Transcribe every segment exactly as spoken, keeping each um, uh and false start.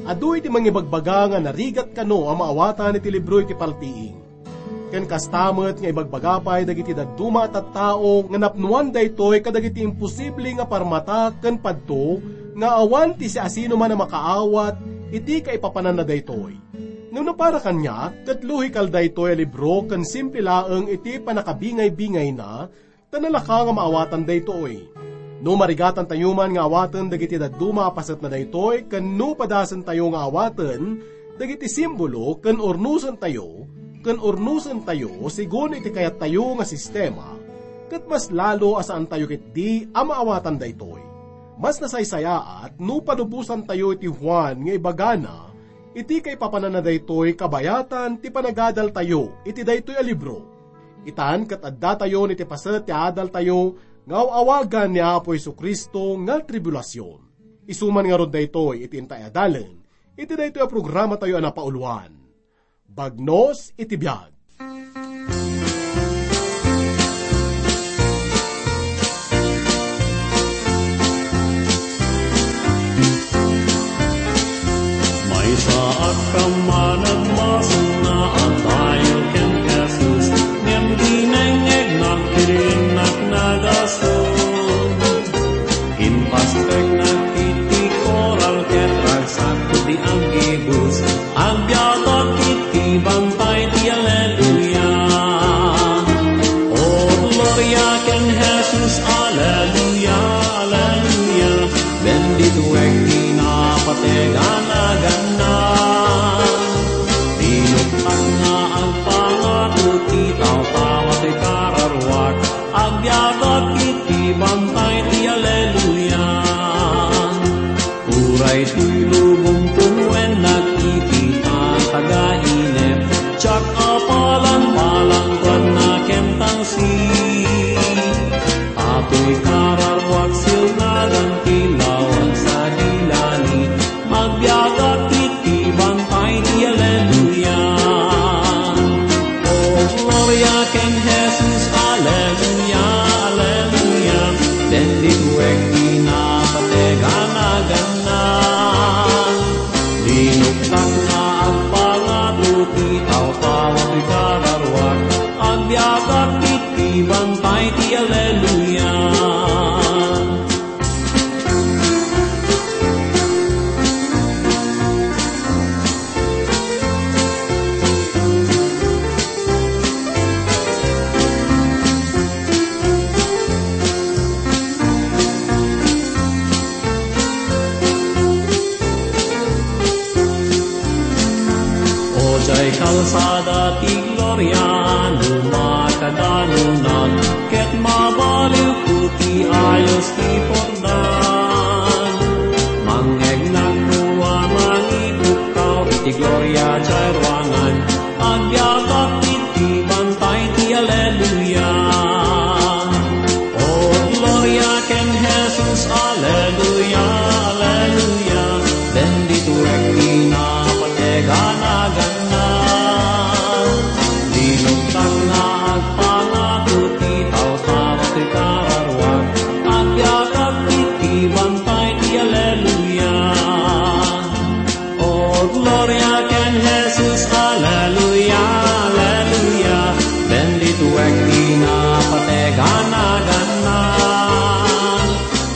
Adu iti mangibagbaga nga narigat kano a maawatan iti libro iti paltiing. Ken kasta met nga ibagbaga pay dagiti dadduma a tattao nga napnoan daytoy kadagiti imposible nga parmata ken padto nga awan ti siasinoman a makaawat iti kaipapananna daytoy. Ngem no para kaniak, ket lohikal daytoy a libro ken simple laeng iti pannakabingay-bingayna, ta nalaka nga maawatan daytoy. No marigatantayo man nga awaten dagiti dadduma a pasetna daytoy ken no padasentayo nga awaten dagiti simbolo ken urnosentayo, ken urnosentayo segun iti kayattayo nga sistema, ket mas lalo a saantayo ketdi a maawatan daytoy. Mas nasaysayaat no palubosantayo iti Juan nga ibagana iti kaipapananna daytoy kabayatan ti panagadaltayo iti daytoy a libro. Itan ket addatayon iti paset ti adaltayo nga aw-awagan ni Apo Jesu-Cristo nga tribulasion. Isu man ngarud daytoy iti intay a dalen iti daytoy a programatayo a napauluan, Bagnos iti Biag. Maysa a kammanagmasum nga agtayo ken Jesus, ngem dinengngegnak ti rinnak nagasu. Impasteknak iti koral ket ragsak ti aggibus. Agbiagak iti bantay ti Alleluia. O, gloria ken Jesus, Alleluia, Alleluia. Bendituek ti napateg a naganna. Dinuktak nga agpangako ti tawtawa ti kararuak. Agbiagak iti bantay ti Alleluia. Uray toy lubong punuennak iti pagkainep, diak a palang-palangkuanna ken tangsit. Atoy kararuak silnagan ti lawag sadi langit, agbiagak iti bantay ti Alleluia. O, gloria ken Jesus, Alleluia, Alleluia. Bendituek ti napateg a naganna. Dinuktak nga agpangako ti tawtawa ti kararuak, agbiagak iti bantay ti Alleluia. O, diay kalsada ti gloria, no makadanunak, ket mabaliwko ti ayos ti purdan. Mangngegnak no a mangipukkaw iti gloria diay ruangan, agbiagak iti bantay ti Alleluia. O, gloria ken Jesus, Alleluia, Alleluia. Bendituek ti napateg a naganna. Dinuktak nga agpangako ti tawtawa ti kararuak, agbiagak iti bantay ti Alleluia. O, gloria ken Jesus, Alleluia, Alleluia. Bendituek ti napateg a naganna.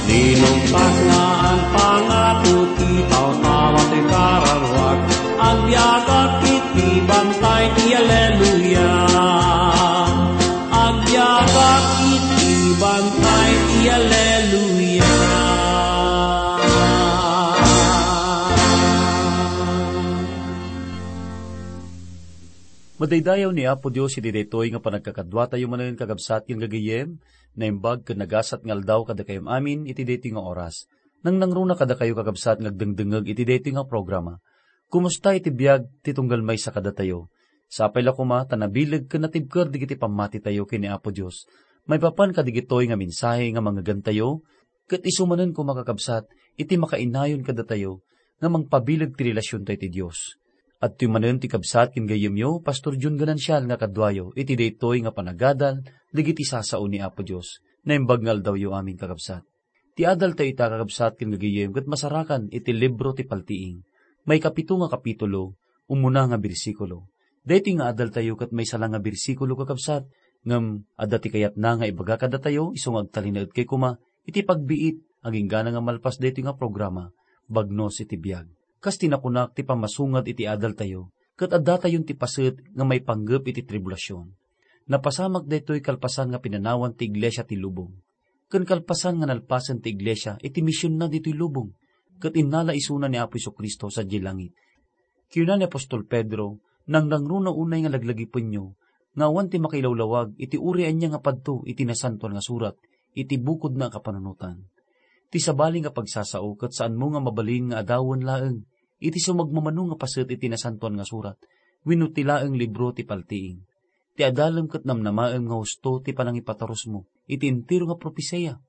Dinuktak nga agpangako ti tawtawa ti kararuak, agbiagak iti bantay ti Alleluia. Agbiagak iti bantay ti Alleluia. Madaydayaw ni Apo Dios iti daytoy nga panagkakaduatayo manen, kakabsat ken gagayyem, naimbag ken nagasat nga aldaw kadakayo amin iti daytoy nga oras. Nangnangruna kadakayo, kakabsat, nga agdengdengngeg iti daytoy nga programa. Kumusta iti biag ti tunggal maysa kadatayo? Sapay la koma ta nabileg ken natibker dagiti pammatitayo ken ni Apo Dios maipapan kadigitoy nga mensahe nga mangngegantayo, ket isu manen koma, kakabsat, iti makainayon kadatayo nga mangpabileg ti relasiontayo iti Dios. Adtoy manen ti kabsat ken gayyemyo, Pastor Jun Ganancial, nga kaduayo iti daytoy nga panagadal dagiti sasao ni Apo Dios. Naimbag nga aldawyo amin, kakabsat. Ti adaltayo ita, kakabsat, ken gagayyem, ket masarakan iti libro ti Paltiing. Maikapito nga kapitulo, umuna nga bersikulo. Daytoy nga adaltayo ket maysa la nga bersikulo, kakabsat, ngem adda ti kayatna nga ibaga kadatayo isu nga agtalinaedkayo koma iti pagbiit, aginggana nga malpas daytoy nga programa, Bagnos iti Biag. Kas ti nakunak ti pammasungad iti adaltayo, ket addatayon ti paset nga maipanggep iti tribulasion. Napasamak daytoy kalpasan nga pinanawan ti iglesia ti lubong, ken kalpasan nga nalpasen ti iglesia iti misionna ditoy lubong, ket innala isuna ni Apo Jesu-Cristo sadiay langit. Kinuna ni apostol Pedro, "Nangrangruna unay nga laglagipenyo nga awan ti makailawlawag iti uray ania nga padto iti Nasantoan nga Surat iti bukodna a kapanunotan." Ti sabali nga pagsasao ket saanmo nga mabalin nga adawen laeng iti sumagmamano nga paset iti Nasantoan nga Surat wenno ti laeng libro ti Paltiing. Ti adalem ket namnamaem nga husto ti panangipatarusmo iti entero nga propesia.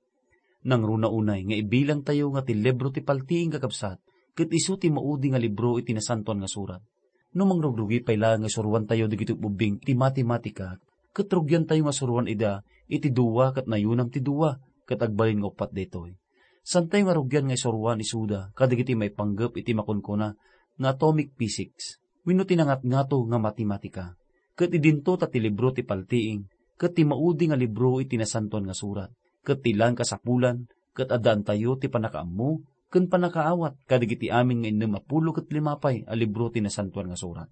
Nangruna unay nga ibilangtayo nga ti libro ti Paltiing, kakabsat, ket isu ti maudi nga libro iti Nasantoan nga Surat. No mangrugrugi pay laeng nga suroantayo dagiti ubbing ti matematika, ket rugiantayo nga suroan ida iti dua ket nayunam ti dua, ket agbalin nga uppat daytoy. Saantayo nga rugian nga isuroan isuda kadagiti maipanggep iti makunkuna nga atomic physics wenno ti nangatngato nga matematika. Ket idinto ta ti libro ti Paltiing ket ti maudi nga libro iti Nasantoan nga Surat, ket ti laeng kasapulan ket addaantayo ti pannakaammo ken pannakaawat kadagiti amin nga innem a pulo ket lima pay a libro ti Nasantoan nga Surat.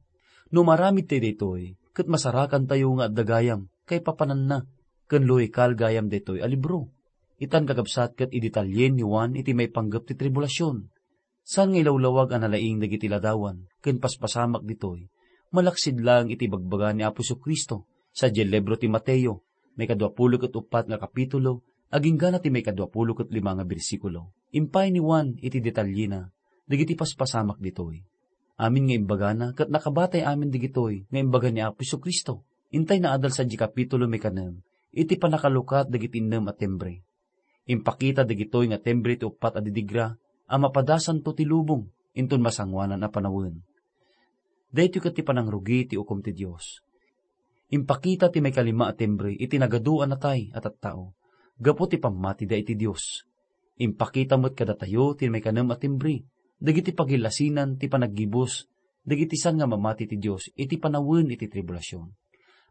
No maaramidtayo daytoy, ket masarakantayo nga adda gayam kaipapananna ken lohikal gayam daytoy a libro. Itan, kakabsat, ket idetalyen ni Juan iti maipanggep ti tribulasion. Saan nga ilawlawag a nalaing dagiti ladawan ken paspasamak ditoy, malaksid laeng iti ibagbaga ni Apo Jesu-Cristo sadiay libro ti Mateo, maikadua pulo ket uppat nga kapitulo, aginggana ti maikadua pulo ket lima nga bersikulo. Impay ni Juan iti detalyena dagiti paspasamak ditoy. Amin nga imbagana ket nakabatay amin dagitoy nga imbaga ni Apo Jesu-Cristo. Intay naadal sadiay kapitulo maikanem iti pannakalukat dagiti innem a timbre. Impakita dagitoy nga timbre ti uppat a didigra a mapadasanto ti lubong inton masangoanan a panawen. Daytoy ket ti panangrugi ti ukom ti Dios. Impakita ti maikalima a timbre iti nagadu a natay a tattao gapu ti pammatida iti Dios. Impakita met kadatayo ti maikanem a timbre dagiti pagillasinan ti panaggibus dagiti saan nga mamati ti Dios iti panawen iti tribulasion.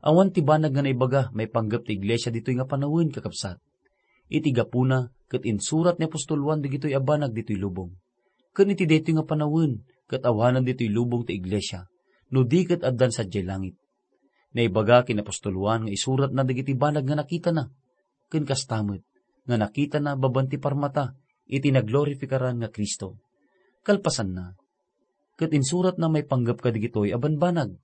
Awan ti banag nga naibaga maipanggep ti iglesia ditoy nga panawen, kakabsat. Iti gapuna, ket insurat ni apostol Juan dagitoy a banag ditoy lubong. Ken iti daytoy nga panawen, ket awanen ditoy lubong ti iglesia, no di ket addan sadiay langit. Naibaga ken apostol Juan nga isuratna dagiti banag nga nakitana, ken kasta met nga nakitana babaen ti parmata iti naglorifikaran nga Cristo. Kalpasanna, ket insuratna maipanggep kadagitoy a banbanag.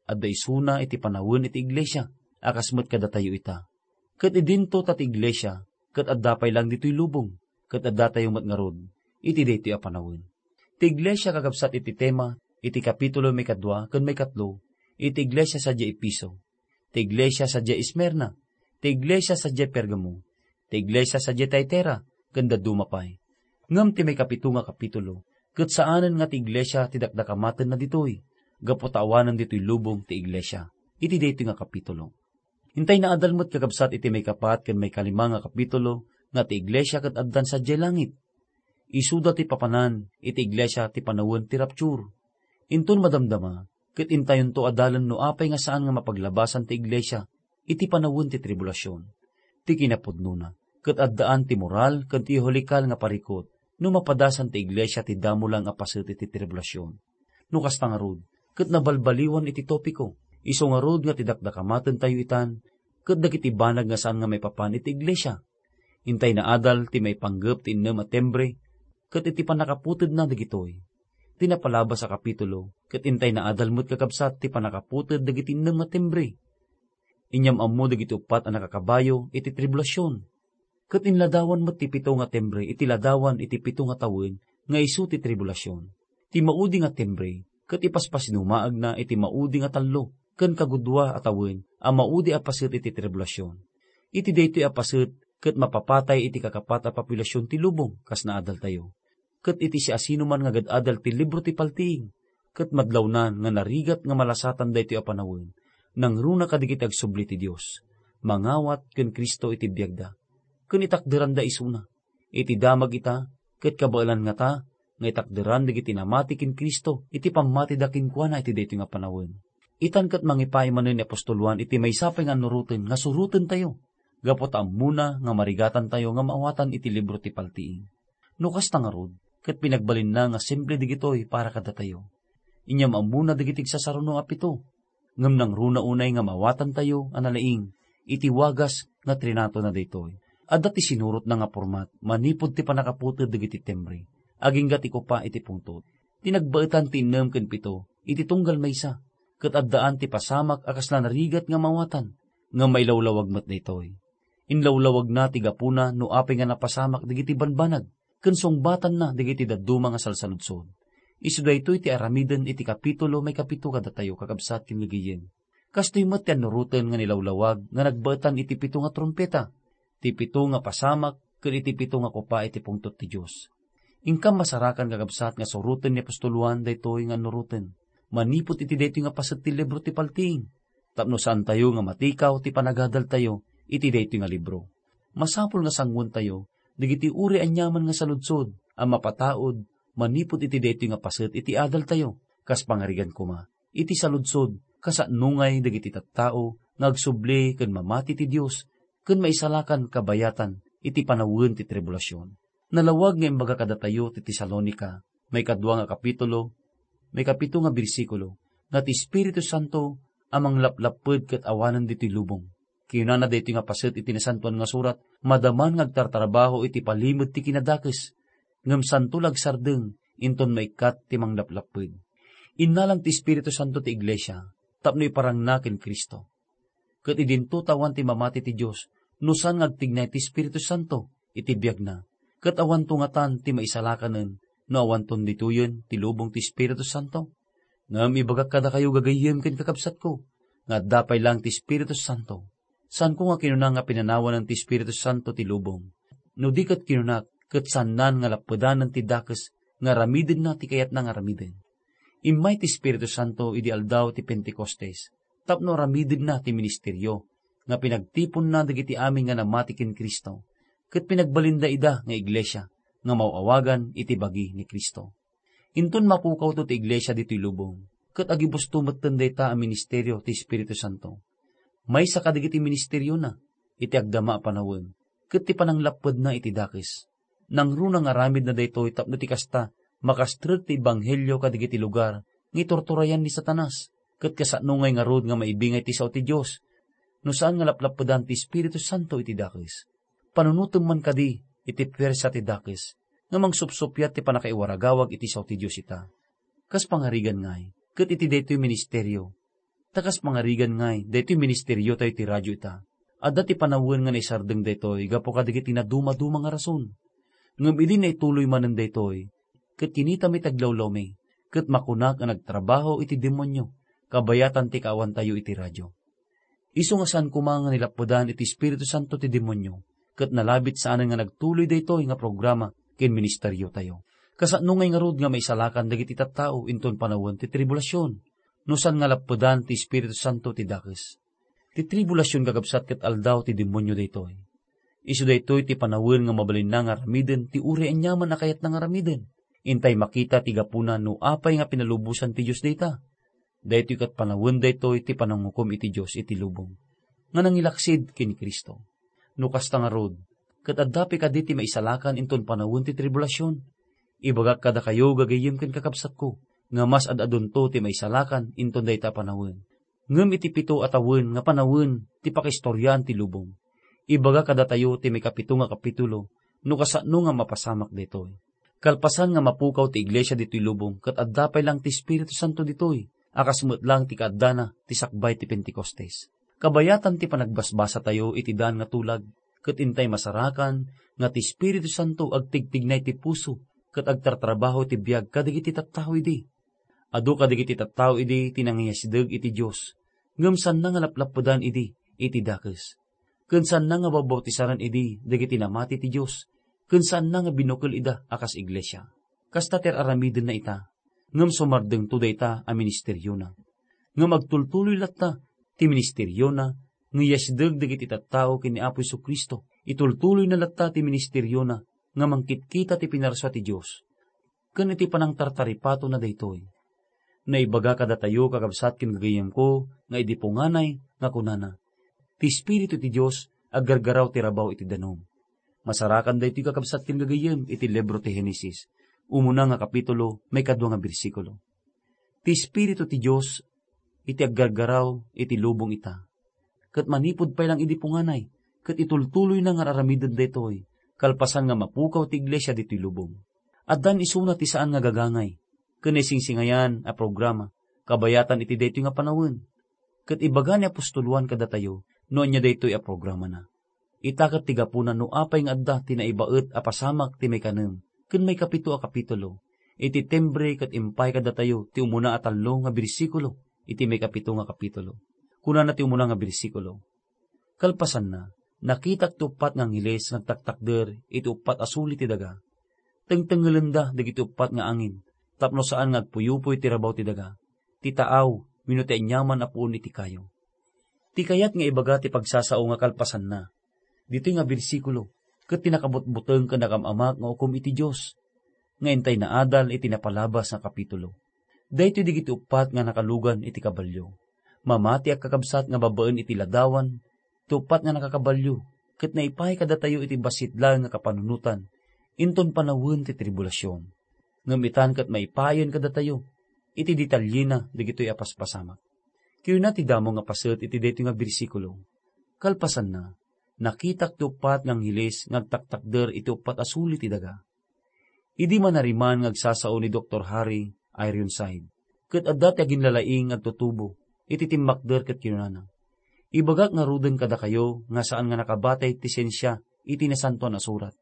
Adda isuna iti panawen iti iglesia, a kas met kadatayo ita. Ket idinto ta ti iglesia, ket adda pay laeng ditoy lubong, ket addatayo met ngarud iti daytoy a panawen. Ti iglesia, kakabsat iti tema iti kapitulo maikadua ken maikatlo, iti iglesia sadiay Efeso, ti iglesia sadiay Esmirna, ti iglesia sadiay Pergamo, ti iglesia sadiay Tiatira, ken dadduma pay. Ngem ti maikapito nga kapitulo, ket saanen nga ti iglesia ti dakdakamatenna ditoy, gapu ta awanen ditoy lubong ti iglesia iti daytoy nga kapitulo. Intay naadal met, kakabsat, iti maikapat ken maikalima nga kapitulo nga ti iglesia ket addan sadiay langit. Isuda ti papanan iti iglesia ti panawen ti rapture. Inton madamdama, ket intayonto adalen no apay nga saan nga mapaglabasan ti iglesia iti panawen ti tribulasion. Ti kinapudnona, ket addaan ti moral ken ti iholikal nga parikut no mapadasan ti iglesia ti damo laeng a paset iti tribulasion. No kasta ngarud, ket nabalbaliwan iti topiko, isu ngarud nga ti dakdakamatentayo itan, ket dagiti banag nga saan nga maipapan iti iglesia. Intay naadal ti maipanggep ti innem a timbre, ket iti pannakaputedna dagitoy. Ti napalabas a kapitulo, ket intay naadal met, kakabsat, ti pannakaputed dagiti innem a timbre. Inyam-ammo dagiti uppat a nakakabayo iti tribulasion. Ket inladawan met ti pito nga timbre iti ladawan iti pito nga tawen nga isu ti tribulasion. Ti maudi nga timbre ket ipaspasinumaagna iti maudi nga tallo ken kagudua a tawen a maudi a paset iti tribulasion. Iti daytoy a paset ket mapapatay iti kakapat a populasion ti lubong kas naadaltayo. Ket iti siasinoman nga agad-adal ti libro ti paltiing, ket madlawnan nga narigat nga malasatan daytoy a panawen, nangruna kadagiti agsubli ti Dios. mangawat ken Cristo iti biagda, ken itakderanda isuna. Iti damag ita, ket kabaelan ngata nga itakderan dagiti namati ken Cristo iti pammatida kenkuana iti daytoy nga panawen. Itan ket mangipaay manen ni apostol Juan iti maysa pay nga annuroten nga surotentayo, gapu ta ammona nga marigatantayo nga maawatan iti libro ti paltiing. No kasta ngarud, ket pinagbalinna nga simple dagitoy para kadatayo. Inyam ammona dagiti agsasaruno a pito, ngem nangruna unay nga maawatantayo a nalaing iti wagas nga trinatona daytoy. Adda ti sinurotna nga pormat manipud ti pannakaputed dagiti timbre, agingga ti kopa iti pungtot. Ti nagbaetan ti innem ken pito iti tunggal maysa, ket addaan ti pasamak a kasla narigat nga maawatan, ngem mailawlawag met daytoy. Inlawlawagna ti gapuna no apay nga napasamak dagiti banbanag ken sungbatanna dagiti dadduma nga salsaludsod. Isu daytoy ti aramiden iti kapitulo maikapito kadatayo, kakabsat ken gagayyem. Kastoy met ti annuroten nga nilawlawag nga nagbaetan iti pito nga trumpeta, ti pito nga pasamak, ken iti pito nga kopa iti pungtot ti Dios. Inkam masarakan, kakabsat, nga suroten ni apostol Juan daytoy nga annuroten manipud iti daytoy nga paset ti libro ti paltiing, tapno saantayo nga matikaw ti panagadaltayo iti daytoy nga libro. Masapul nga sanguentayo dagiti uray aniaman nga saludsod a mapataud manipud iti daytoy nga paset iti adaltayo, kas pangarigan koma iti saludsod kasano ngay dagiti tattao nga agsubli ken mamati ti Dios ken maisalakan kabayatan iti panawen ti tribulasion. Nalawag nga imbaga kadatayo ti Tesalonica, maikadua nga kapitulo, maikapito nga bersikulo, nga ti Espiritu Santo a manglaplapped ket awanen ditoy lubong. Kinunana daytoy nga paset iti Nasantoan nga Surat, madaman nga agtartrabaho iti palimed ti kinadakes, ngem santo la agsardeng inton maikkat ti manglaplapped. Innalan ti Espiritu Santo ti iglesia tapno iparangna ken Cristo. Ket idinto ta awan ti mamati ti Dios no saan nga agtignay ti Espiritu Santo iti biagna, ket awanto ngatan ti maisalakanen no awanton ditoyen ti lubong ti Espiritu Santo. Ngem ibagak kadakayo, gagayyem ken kakabsatko, nga adda pay laeng ti Espiritu Santo. Saanko nga kinuna nga pinanawanen ti Espiritu Santo ti lubong. No di ket kinunak, ket saannan nga lappedanen ti dakes nga aramidenna ti kayatna nga aramiden. Immay ti Espiritu Santo idi aldaw ti Pentecostes tapno aramidenna ti ministerio nga pinagtiponna dagiti amin nga namati ken Cristo, ket pinagbalinda ida nga iglesia nga maw-awagan iti bagi ni Cristo. Inton mapukawto ti iglesia ditoy lubong, ket agibusto metten dayta a ministerio ti Espiritu Santo. Maysa kadagiti ministeriona iti agdama a panawen ket ti pananglappedna iti dakes. Nangruna nga aramidna daytoy tapno ti kasta, makastrek ti ebanghelio kadagiti lugar nga iturturayan ni Satanas, ket kasano ngay ngarud nga maibingay ti sao ti Dios no saan nga laplappedan ti Espiritu Santo iti dakes? Panunotem man kadi iti puersa ti dakes nga mangsupsuppiat ti pannakaiwaragawag iti sao ti Dios ita? Kas pangarigan ngay, ket iti daytoy ministerio, ta kas pangarigan ngay, daytoy ministeriotayo ti radio ita, adda ti panawen nga naisardeng daytoy gapu kadagiti nadumaduma nga rason. Ngem idi naituloy manen daytoy, ket kinitami ti aglawlawmi, ket makunak a nagtrabaho iti demonio, kabayatan ti kaawantayo iti radio. Isu nga saan koma nga nilappedan iti Espiritu Santo ti demonio, ket nalabit saanen nga nagtuloy daytoy nga programa ken ministeriotayo. Kasano ngay ngarud nga maisalakan dagiti tattao inton panawen ti tribulasion, no saan nga lappedan ti Espiritu Santo ti dakes? Ti tribulasion, kakabsat, ket aldaw ti demonio daytoy. Isu daytoy ti panawen nga mabalinna nga aramiden ti uray aniaman a kayatna nga aramiden. Intay makita ti gapuna no apay nga pinalubosan ti Dios dayta. Daytoy ket panawen daytoy ti panangukom iti Dios iti lubong nga nangilaksid ken Cristo. No kasta ngarud, ket adda pay kadi ti maisalakan inton panawen ti tribulasion? Ibagak kadakayo, gagayyem ken kakabsatko, nga mas ad-adunto ti maisalakan inton dayta a panawen. Ngem iti pito a tawen nga panawen ti pakaistoriaan ti lubong, ibaga kadatayo ti maikapito nga kapitulo no kasano nga mapasamak daytoy. Kalpasan nga mapukaw ti iglesia ditoy lubong ket adda pay laeng ti Espiritu Santo ditoy a kas met laeng ti kaaddana ti sakbay ti Pentecostes. Kabayatan ti panagbasbasatayo iti daan nga tulag, ket intay masarakan nga ti Espiritu Santo agtigtignay ti puso ket agtartrabaho iti biag kadagiti tattao idi. Adu kadagiti tattao idi ti nangiyasideg iti Dios, ngem saanna nga laplappedan idi iti dakes. Ken saanna nga babbautisaran idi dagiti namati ti Dios, ken saanna nga binukel ida a kas iglesia. Kasta ti ar-aramidenna ita, ngem sumardengto dayta a ministeriona. Ngem agtultuloy latta ti ministeriona nga iyasideg dagiti tattao ken ni Apo Jesu-Cristo. Itultuloyna latta ti ministeriona nga mangkitkita ti pinarsua ti Dios. Ken iti panangtartaripatona daytoy, naibaga kadatayo, kakabsat ken gagayyemko, nga idi punganay nga kunana, "Ti Espiritu ti Dios aggargaraw ti rabaw iti danum." Masarakan daytoy, kakabsat ken gagayyem, iti libro ti Genesis, umuna nga kapitulo, maikadua nga bersikulo. Ti Espiritu ti Dios iti aggargaraw iti lubong ita. Ket manipud pay lang idi punganay, ket itultuloyna nga aramiden daytoy, kalpasan nga mapukaw ti iglesia ditoy lubong. Addan isuna ti saan nga gagangay, ken naisingsingayan a programa, kabayatan iti daytoy nga panawen. Ket ibaga ni apostol Juan kadatayo no ania daytoy a programana. Ita ket ti gapuna no apay nga adda ti naibaet a pasamak ti maikanem ken maikapito a kapitulo, iti timbre ket impay kadatayo ti umuna a tallo nga bersikulo iti maikapito nga kapitulo. Kunana ti umuna nga bersikulo, "Kalpasanna, nakitak ti uppat nga angheles nga agtaktakder iti uppat a suli ti daga. Tengtengelenda dagiti uppat nga angin, tapno saan nga agpuyupoy ti rabaw ti daga, ti taaw, wenno ti aniaman a puon iti kayo." Ti kayat nga ibaga ti pagsasao nga kalpasanna ditoy nga bersikulo ket ti nakabutbuteng ken nakam-amak nga ukom iti Dios, nga intay naadal iti napalabas nga kapitulo. Daytoy dagiti uppat nga nakalugan iti kabalio. Mamatiak, kakabsat, nga babaen iti ladawan ti uppat nga nakakabalio, ket naipay kadatayo iti bassit laeng nga kapanunotan inton panawen ti tribulasion. Ngem itan ket maipayen kadatayo iti detalyena dagitoy a paspasamak. Kinuna ti damo nga paset iti daytoy nga bersikulo, "Kalpasanna, nakitak ti uppat nga angheles nga agtaktakder iti uppat a suli ti daga." Idi manariman nga agsasao ni Doktor Harry Ironside, ket adda ti aginlalaing nga agtutubo iti timmakder ket kinunana, "Ibagak ngaruden kadakayo nga saan nga nakabatay ti siensia iti Nasantoan a Surat.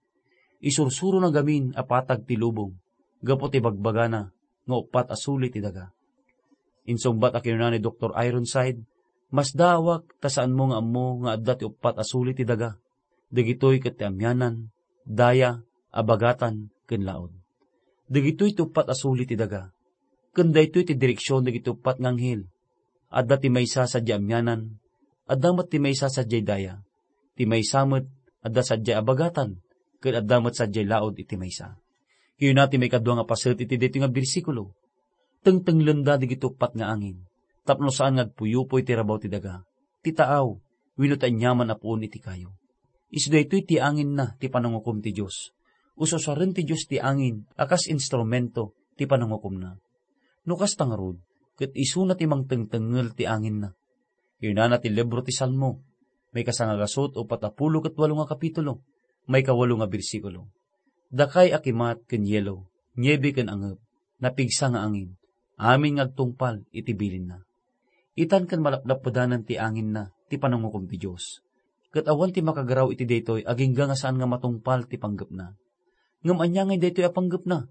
Isursurona gamin a patag ti lubong gapu ti bagbagana nga uppat a suli ti daga." Insungbat a kinuna ni Doktor Ironside, "Masdaawak ta saanmo nga ammo nga adda ti uppat a suli ti daga. Dagitoy ket ti amianan, daya, abagatan, ken laud. Dagitoy ti uppat a suli ti daga. Ken daytoy ti direksion dagiti uppat nga anghel. Adda ti maysa sadiay amianan, adda met ti maysa sadiay daya. Ti maysa met, adda sadiay abagatan, ken adda met sadiay laud iti maysa." Kinuna ti maikadua nga paset iti daytoy nga bersikulo, "Tengtenglenda dagiti uppat nga angin, tapno saan nga agpuyupoy ti rabaw ti daga, ti taaw, wenno ti aniaman a puon iti kayo." Isu daytoy ti anginna ti panangukom ti Dios. Ususaren ti Dios ti angin a kas instrumento ti panangukomna. No kasta ngarud, ket isuna ti mangtengtengngel ti anginna. Kinunana ti libro ti Salmo, maikasangagasut, uppat a pulo ket walo nga kapitulo, maikawalo nga bersikulo, "Dakay a kimat ken yelo, niebe ken angep, napigsa nga angin, amin nga agtungpal iti bilinna." Itan ken malapdappedanen ti anginna ti panangukom ti Dios. Ket awan ti makagaraw iti daytoy agingga nga saan nga matungpal ti panggepna. Ngem ania ngay daytoy a panggepna?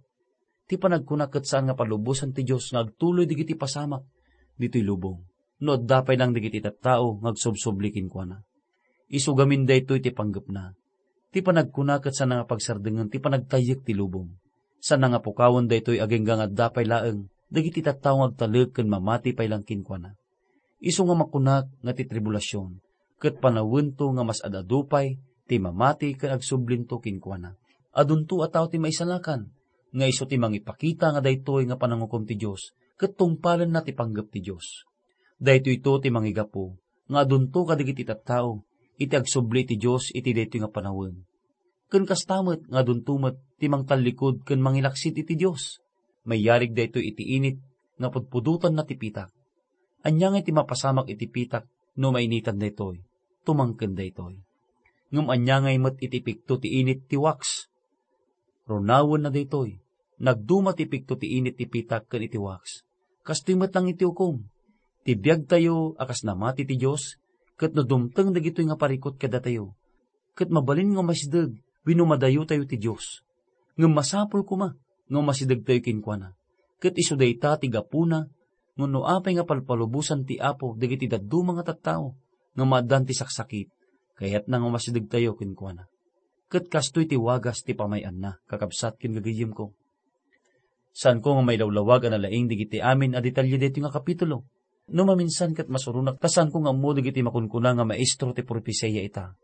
Ti panagkuna ket saan nga palubosan ti Dios nga agtuloy dagiti pasamak ditoy lubong, no adda pay lang dagiti tattao nga agsubsubli kenkuana. Isu gamin daytoy ti panggepna. Ti panagkuna ket saan nga pagsardengen ti panagtayyek ti lubong. Saan nga pukawen daytoy agingga nga adda pay laeng dagiti tattao nga agtalek ken mamati pay lang kenkuana. Isu nga makunak nga ti tribulasion ket panawento nga mas ad-adu pay ti mamati ken agsublinto kenkuana. Adunto a tao ti maisalakan nga isu ti mangipakita nga daytoy nga panangukom ti Dios ket tungpalenna ti panggep ti Dios. Daytoyto ti mangigapu nga adunto kadagiti tattao iti agsubli ti Dios iti daytoy nga panawen. Ken kasta met nga adunto met ti mangtallikud ken mangilaksid iti Dios. Mayarig daytoy iti init nga pudpudotanna ti pitak. Ania ngay ti mapasamak iti pitak no mainitan daytoy? Tumangken daytoy. Ngem ania ngay met iti ipikto ti init ti wax? Runawenna daytoy. Nagduma ti ipikto ti init ti pitak ken iti wax. Kastoy met lang iti ukom. Ti biagtayo a kas namati ti Dios, ket no dumteng dagitoy nga parikut kadatayo, ket mabalin nga umasideg wenno madayotayo ti Dios. Ngem masapul koma nga umasidegtayo kenkuana. Ket isu dayta ti gapuna nga no apay nga palpalubosan ti Apo dagiti dadduma nga tattao nga maaddaan ti saksakit, kayatna nga umasidegtayo kenkuana. Ket kastoy ti wagas ti pamay-anna, kakabsat ken gagayyemko. Saanko nga mailawlawag a nalaing dagiti amin a detalye daytoy nga kapitulo. No maminsan ket masuronak ta saanko nga ammo dagiti makunkuna nga maestro ti propesia ita.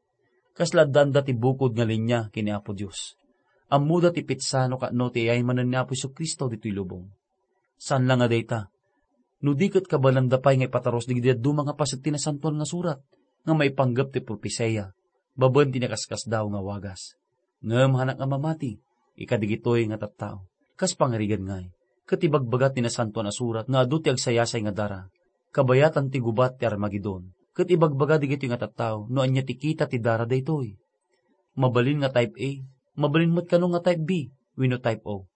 Kasla addaanda ti bukod nga linia ken ni Apo Dios. Ammoda ti petsa no kaano ti iyay manen ni Apo Jesu-Cristo ditoy lubong. Saan la nga dayta, no di ket kabalanda pay nga ipatarus dagiti dadduma nga paset ti Nasantoan nga Surat nga maipanggep ti propesia babaen ti nakaskasdaaw nga wagas. Ngem hanak nga mamati, ikadigitoy nga tattao. Kas pangarigan ngay, ket ibagbaga ti Nasantoan a Surat nga adu ti agsayasay nga dara, kabayatan ti gubat ti Armagedon. Ket ibagbaga digitoy nga tattao no ania ti kita ti dara daytoy. Mabalin nga type A, mabalin met kano nga type B, wenno type O.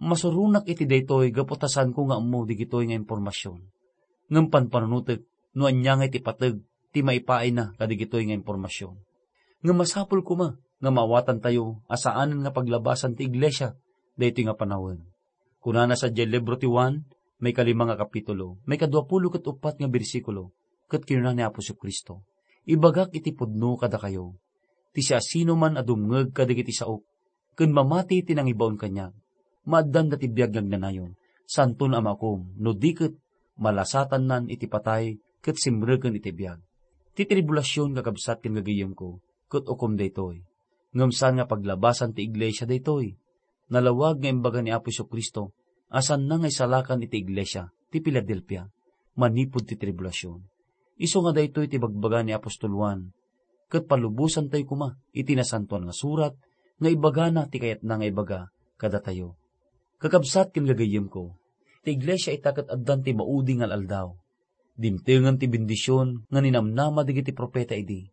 Masuronak iti daytoy gapu ta saanko nga ammo digitoy nga impormasion. Ngem panpanunotek no ania nga iti pateg ti maipaayna kadigitoy nga impormasion. Ngem masapul koma nga maawatantayo a saanen nga paglabasan ti iglesia daytoy nga panawen. Kunana sadiay libro ti Juan, maikalima nga kapitulo, maikaduapulo ket uppat nga bersikulo, ket kinuna ni Apo Jesu-Cristo, "Ibagak iti pudno kadakayo, ti siasinoman a dumngeg kadagiti saok, ken mamati ti nangibaon kaniak, maaddanda ti biag nga agnanayon, saanton a maukom, no di ket malasatannan iti patay ket simreken iti biag." Ti tribulasion, kakabsat ken gagayyemko, ket ukom daytoy. Ngem saan nga paglabasan ti iglesia daytoy. Nalawag nga imbaga ni Apo Jesu-Cristo a saanna nga isalakan iti iglesia ti Filadelfia manipud ti tribulasion. Isu nga daytoy ti bagbaga ni apostol Juan, ket palubosantayo koma iti Nasantoan nga Surat nga ibagana ti kayatna nga ibaga kadatayo. Kakabsat ken gagayyemko, ti iglesia ita ket addan ti maudi nga al-aldaw. Dimtengen ti bendision nga ninamnama dagiti profeta idi.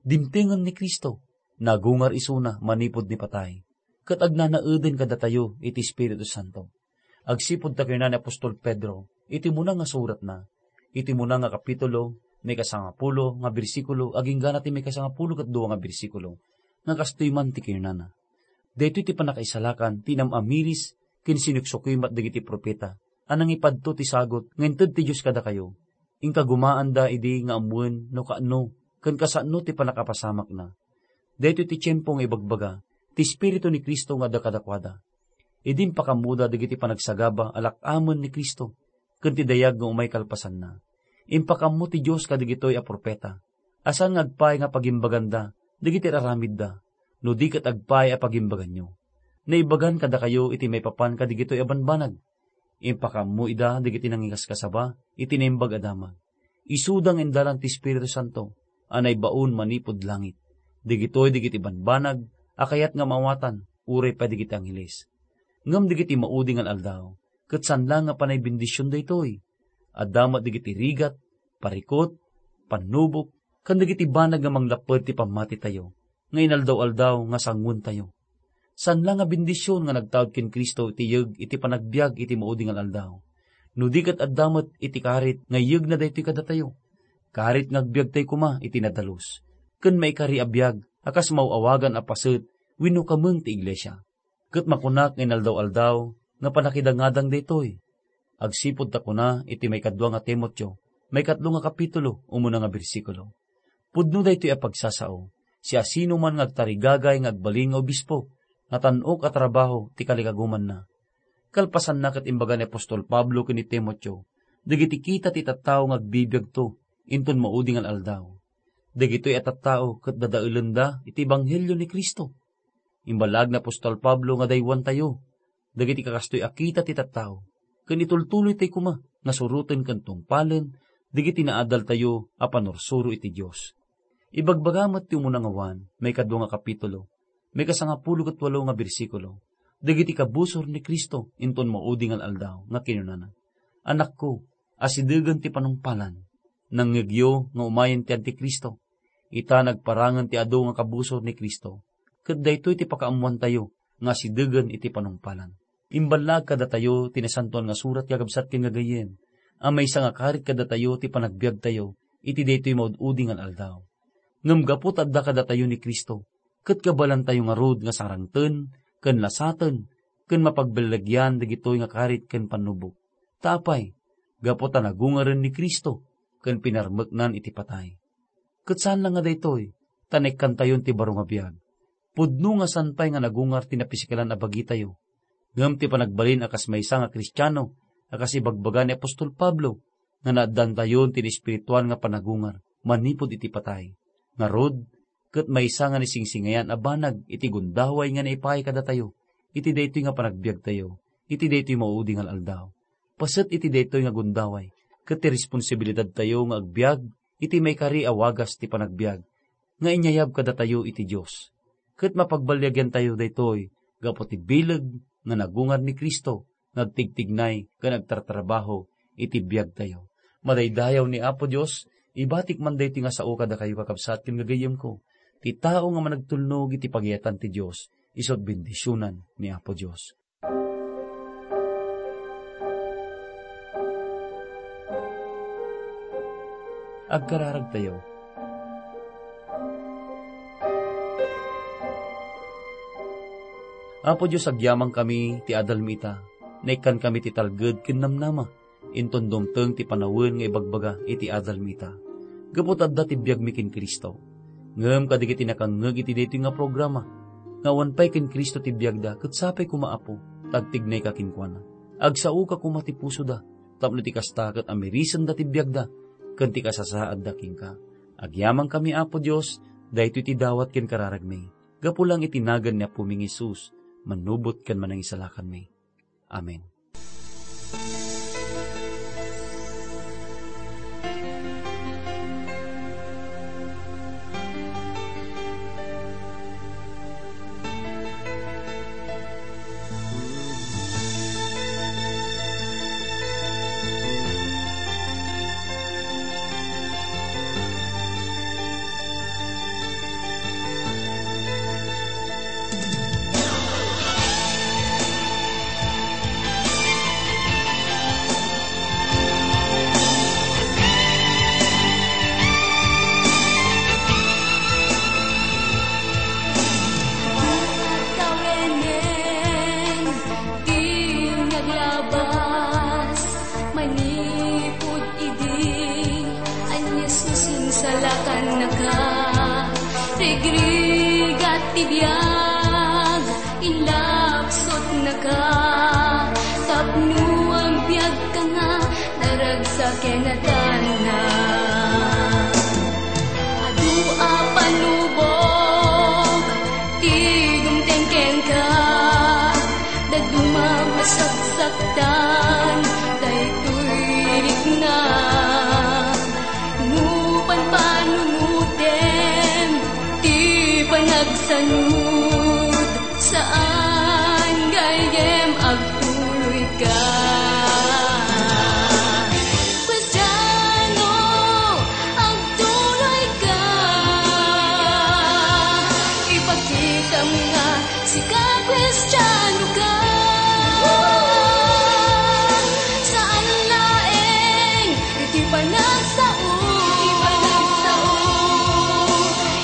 Dimtengen ni Cristo, nagungar isuna manipud ni patay, ket agnanaeden kadatayo iti Espiritu Santo. Agsipud ta kinuna ni apostol Pedro iti umuna nga suratna, iti umuna nga kapitulo, maikasangapulo nga bersikulo, agingga na ti maikasangapulo ket dua nga bersikulo, nga kastoy man ti kinunana, "Daytoy ti pannakaisalakan ti inam-amiris ken sinuksukimat dagiti profeta a nangipadto ti sagut nga inted ti Dios kadakayo. Inkagumaanda idi nga ammoen no kaano ken kasano ti pannakapasamakna." Daytoy ti tiempo nga ibagbaga ti Espiritu ni Cristo nga adda kadakuada. Idi impakaammoda dagiti panagsagaba a lak-amen ni Cristo ken ti dayag nga umay kalpasanna, impakaammo ti Dios kadagitoy a profeta a saan nga agpaay nga pagimbaganda dagiti ar-aramidda, no di ket agpaay a pagimbaganyo. Naibagan kadakayo iti maipapan kadagitoy a banbanag. Impakaammo ida dagiti nangikaskasaba iti Naimbag a Damag. Isuda nga indalan ti Espiritu Santo a naibaon manipud langit. Dagitoy dagiti banbanag a kayat nga maawatan uray pay dagiti angheles. Ngem dagiti maudi nga al-aldaw, ket saan la nga panay bendision daytoy. Adda met dagiti rigat, parikut, pannubok, ken dagiti banag nga manglapped ti pammatitayo nga inaldaw-aldaw nga sanguentayo. Saan la nga bendision nga nagtaud ken Cristo iti yeg iti panagbiag iti maudi nga al-aldaw, no di ket adda met iti karit nga iyegna daytoy kadatayo. Karit nga agbiagtayo koma iti nadalus, ken maikari a biag a kas maaw-awagan a paset wenno kameng ti iglesia. Ket makunak nga inaldaw-aldaw nga pannakidangadang daytoy. Agsipud ta kuna iti maikadua nga Timoteo, maikatlo nga kapitulo, umuna nga bersikulo, "Pudno daytoy a pagsasao, siasinoman nga agtarigagay nga agbalin nga obispo, natan-ok a trabaho ti kalikagumanna." Kalpasanna ket imbaga ni apostol Pablo ken ni Timoteo dagiti kita ti tattao nga agbibiagto inton maudi nga al-aldaw. Dagitoy a tattao ket dadaelenda iti ebanghelio ni Cristo. Imbalag ni apostol Pablo nga daywantayo dagiti kakastoy a kita ti tattao, ken itultuloytayo koma nga suroten ken tungpalen dagiti naadaltayo a panursuro iti Dios. Ibagbaga met ti umuna nga Juan, maikadua nga kapitulo, maikasangapulo ket walo nga bersikulo, dagiti kabusor ni Cristo inton maudi nga al-aldaw nga kinunana, "Anakko, asidegen ti panungpalan. Nangngegyo nga umayen ti Antikristo. Ita nagparangen ti adu nga kabusor ni Cristo, ket daytoy ti pakaammoantayo nga asidegen iti panungpalan." Imballaag kadatayo ti Nasantoan nga Surat, kakabsat ken gagayyem, a maysa nga karit kadatayo ti panagbiagtayo iti daytoy maud-udi nga al-aldaw. Ngem gapu ta adda kadatayo ni Cristo, ket kabaelantayo ngarud nga sarangten ken lasaten ken mapagbilegian dagitoy nga karit ken pannubok. Ta apay? Gapu ta nagungaren ni Cristo ken pinarmeknan iti patay. Ket saan la nga daytoy, ta naikkantayon ti baro nga biag. Pudno nga saan pay nga nagungar ti napisikalan a bagitayo, ngem ti panagbalin a kas maysa nga Kristiano a kas ibagbaga ni apostol Pablo, nga naaddantayon ti espirituan nga panagungar manipud iti patay. Ngarud, ket maysa nga naisingsingayan a banag iti gundaway nga naipaay kadatayo iti daytoy nga panagbiagtayo iti daytoy maudi nga aldaw. Paset iti daytoy nga gundaway, ket ti responsibilidadtayo nga agbiag iti maikari a wagas ti panagbiag nga inyayab kadatayo iti Dios. Ket mapagbaliagantayo daytoy gapu ti bileg nga nagungar ni Cristo nga agtigtignay ken agtartrabaho iti biagtayo. Madaydayaw ni Apo Dios, ibatik man daytoy nga sao kadakayo, kakabsat ken gagayyemko. Ti tao nga managtulnog iti pagayatan ti Dios, isu ti bendisionan ni Apo Dios. Agkararagtayo. Apo Dios, agyamankami ti adalmi ita. Naikkankami ti talged ken namnama. Inton dumteng ti panawen nga ibagbaga iti adalmi ita, gapu ta adda ti biagmi ken Cristo. Ngem kadagiti nakangngeg iti daytoy nga programa, nga awan pay ken Cristo ti biagda, ket sapay koma, Apo, ta agtignayka kenkuana. Agsaoka koma ti pusoda, tapno ti kasta ket amirisenda ti biagda, ken ti kasasaadda kenka. Agyamankami, Apo Dios, daytoy ti dawat ken kararagmi, gapu lang iti nagan ni Apomi nga Jesus, manubot ken manangisalakanmi. Amen. Tawenen ti naglabas manipud idi, a ni Jesus, insalakannaka. Rigrigat ti biag, inlapsutnaka. Tapno agbiagka nga naragsak ken natanna. Adu a panubok ti dumteng kenka, dadduma a saksaktan daytoy rikna. No panpanunotem ti panagsanud, saan gayyem agtuloyka. Kristiano, agtuloyka. Ipakitam nga sika Kristianoka. Saan laeng iti panagsao, iti panagsao,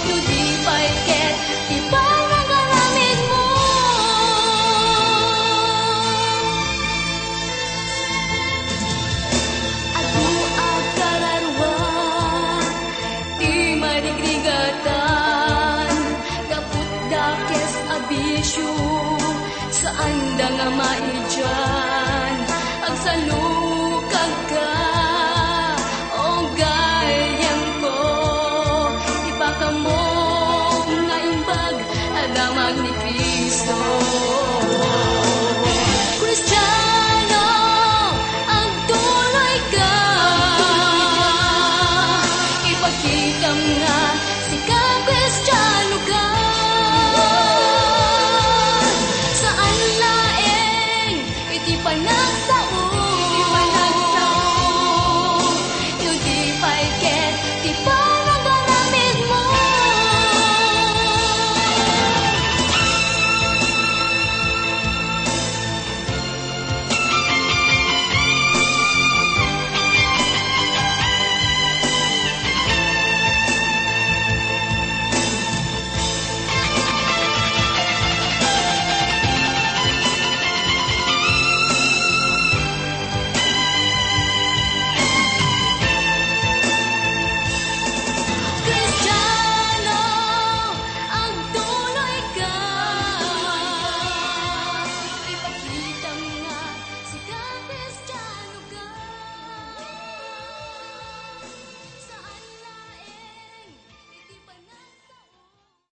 no di pay ket ti panagaraminmo. Adu a kararua ti marigrigatan, gapu dakes a bisio, saanda nga maidian. Agsalukagka, o gayyemko, ipakamok nga imbag a damag ni Cristo.